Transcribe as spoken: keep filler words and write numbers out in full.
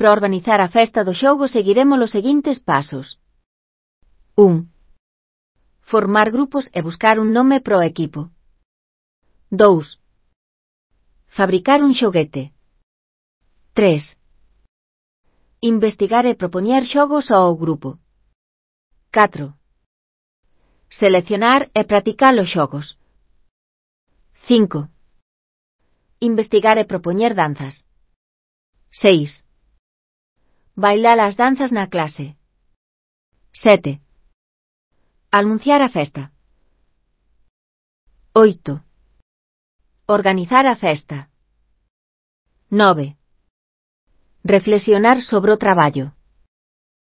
Para organizar a festa do xogo seguiremos os seguintes pasos. un. Formar grupos e buscar un nome para o equipo. dous. Fabricar un xoguete. tres. Investigar e propoñer xogos ao grupo. catro. Seleccionar e practicar os xogos. cinco. Investigar e propoñer danzas. seis. Bailar as danzas na clase. sete. Anunciar a festa. oito. Organizar a festa. nove. Reflexionar sobre o traballo.